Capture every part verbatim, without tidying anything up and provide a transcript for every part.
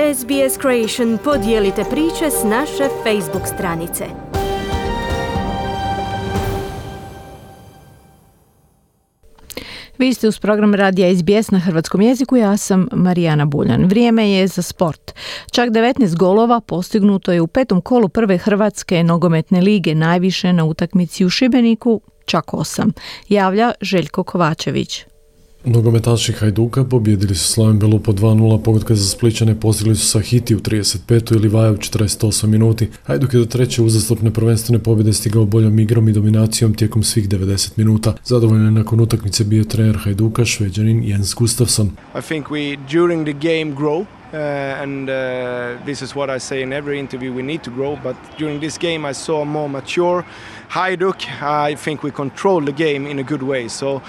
S B S Creation podijelite priče s naše Facebook stranice. Vi ste uz program radija S B S na hrvatskom jeziku, ja sam Marijana Buljan. Vrijeme je za sport. Čak devetnaest golova postignuto je u petom kolu prve hrvatske nogometne lige, najviše na utakmici u Šibeniku, čak osam. Javlja Željko Kovačević. Nogometaši Hajduka pobijedili su Slaven Belupo dva nula, pogotka za Splićane postigli su Sahiti u trideset petoj i Livaja u četrdeset osam minuti. Hajduk je do treće uzastopne prvenstvene pobjede stigao boljom igrom i dominacijom tijekom svih devedeset minuta. Zadovoljno je nakon utakmice bio trener Hajduka, Šveđanin Jens Gustafsson. I think we during the game grow. Uh, and uh, this is what I say in every interview, we need to grow, but during this game I saw more mature Hajduk. I think we control the game in a good way, so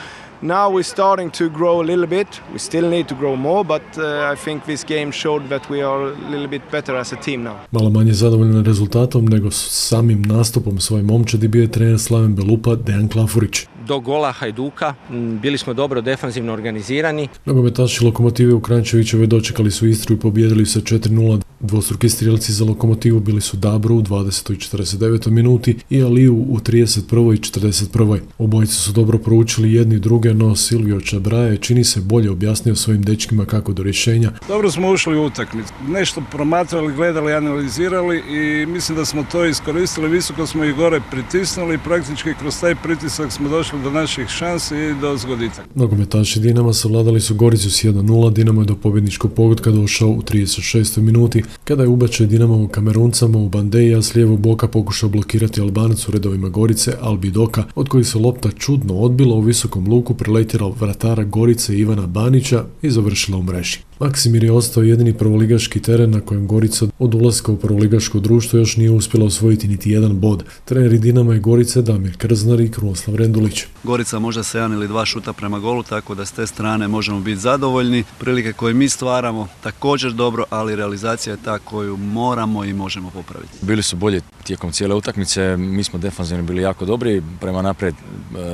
now we're starting to grow a little bit. We still need to grow more, but uh, I think this game showed that we are a little bit better as a team now. Malo manje zadovoljan rezultatom nego samim nastupom svoje momčadi bio je trener Slaven Belupa Dejan Klafurić. Do gola Hajduka bili smo dobro defanzivno organizirani. Nogometaši Lokomotive u Kranjčevićevoj dočekali su Istru i pobijedili sa četiri nula. Dvostruki strijelci za Lokomotivu bili su Dabro u dvadesetoj i četrdeset devetoj minuti i Aliju u trideset prvoj i četrdeset prvoj. Obojice su dobro proučili jedni druge, no Silvio Čabraja je čini se bolje objasnio svojim dečkima kako do rješenja. Dobro smo ušli u utakmicu. Nešto promatrali, gledali, analizirali i mislim da smo to iskoristili. Visoko smo ih gore pritisnuli i praktički kroz taj pritisak smo došli do naših šansi i do zgoditaka. Nogometaši Dinama savladali su Goricu s jedan nula. Dinamo je do pobjedničkog pogotka došao u trideset šestoj minuti kada je ubačaj Dinamo u Kameruncama u Bandeja s lijevog boka pokušao blokirati Albanac u redovima Gorice Albidoka, od kojih se lopta čudno odbila u visokom luku, preletjela vratara Gorice Ivana Banića i završila u mreži. Maksimir je ostao jedini prvoligaški teren na kojem Gorica od ulaska u prvoligaško društvo još nije uspjela osvojiti niti jedan bod. Treneri Dinama i Gorice Damir Krznar i Krunoslav Rendulić. Gorica možda se jedan ili dva šuta prema golu, tako da s te strane možemo biti zadovoljni. Prilike koje mi stvaramo također dobro, ali realizacija je ta koju moramo i možemo popraviti. Bili su bolji tijekom cijele utakmice, mi smo defanzivno bili jako dobri, prema naprijed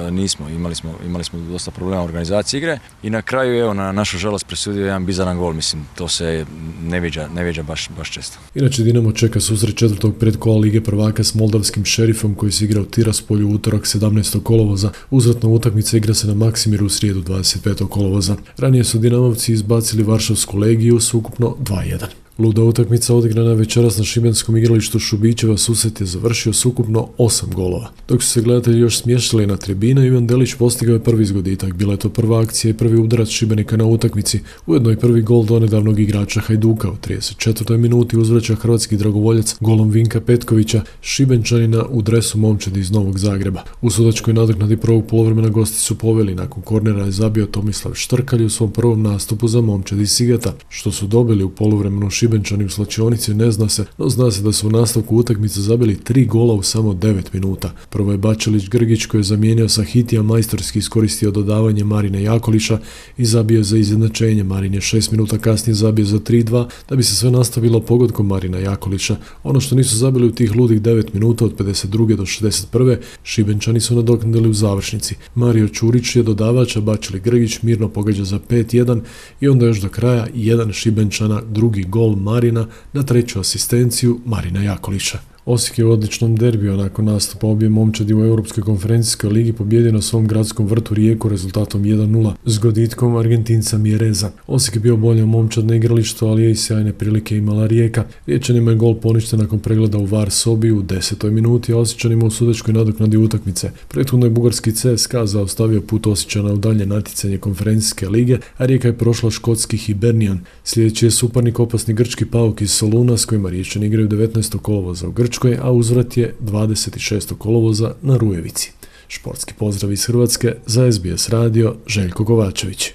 e, nismo, imali smo, imali smo dosta problema u organizaciji igre i na kraju evo na našu žalost presudio jedan bizaran gol, mislim to se ne viđa, ne viđa baš, baš često. Inače Dinamo čeka susret četvrtog predkola Lige prvaka s moldavskim Šerifom koji se igra u Tiraspolju u utorak sedamnaestog kolovoza. Uzvratna utakmica igra se na Maksimiru u srijedu dvadeset petog kolovoza. Ranije su Dinamovci izbacili Varšavsku Legiju s ukupno dva jedan. Luda utakmica odigrana večeras na šibenskom igralištu Šubićeva susret je završio s ukupno osam golova. Dok su se gledatelji još smještali na tribine, Ivan Delić postigao je prvi zgoditak. Bila je to prva akcija i prvi udarac Šibenika na utakmici, ujedno i prvi gol donedavnog igrača Hajduka. U trideset četvrtoj minuti uzvraća hrvatski dragovoljac golom Vinka Petkovića, Šibenčanina u dresu momčadi iz Novog Zagreba. U sudačkoj nadoknadi prvog poluvremena gosti su poveli, nakon kornera je zabio Tomislav Štrkalj u svom prvom nastupu za momčadi iz Sigeta. Što su dobili u poluvremenu Šibenčani u slačionici ne zna se, no zna se da su u nastavku utakmice zabili tri gola u samo devet minuta. Prvo je Bačelić Grgić koji je zamijenio Sahitija, majstorski iskoristio dodavanje Marine Jakolića i zabio za izjednačenje. Marin je šest minuta kasnije zabio za tri dva, da bi se sve nastavilo pogodkom Marina Jakolića. Ono što nisu zabili u tih ludih devet minuta od pedeset druge do šezdeset prve Šibenčani su nadoknadili u završnici. Mario Čurić je dodavač, a Bačeli Grgić mirno pogađa za pet jedan i onda još do kraja jedan Šibenčana, drugi gol Marina na treću asistenciju Marina Jakolića. Osijek je u odličnom derbiju nakon nastupa obje momčadi u Europskoj konferencijskoj ligi pobjedio na svom gradskom vrtu Rijeku rezultatom jedan nula s goditkom Argentinca Mjereza. Osijek je bio bolje momčad na igralištu, ali je i sjajne prilike imala Rijeka. Riječanima je gol poništen nakon pregleda u V A R sobi u desetoj minuti, a Osječanima u sudačkoj nadoknadi utakmice. Prethodno je bugarski C S K A zaustavio put Osječana u dalje natjecanje konferencijske lige, a Rijeka je prošla škotski Hibernian. Sljedeći je suparnik opasni grčki Pauk iz Soluna s kojima Riječani igraju devetnaestog kolovoza u Grčkoj, a uzvrat je dvadeset šestog kolovoza na Rujevici. Športski pozdrav iz Hrvatske za S B S radio, Željko Kovačević.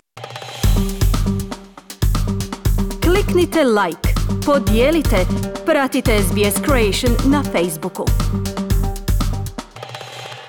Kliknite like, podijelite, pratite S B S Creation na Facebooku.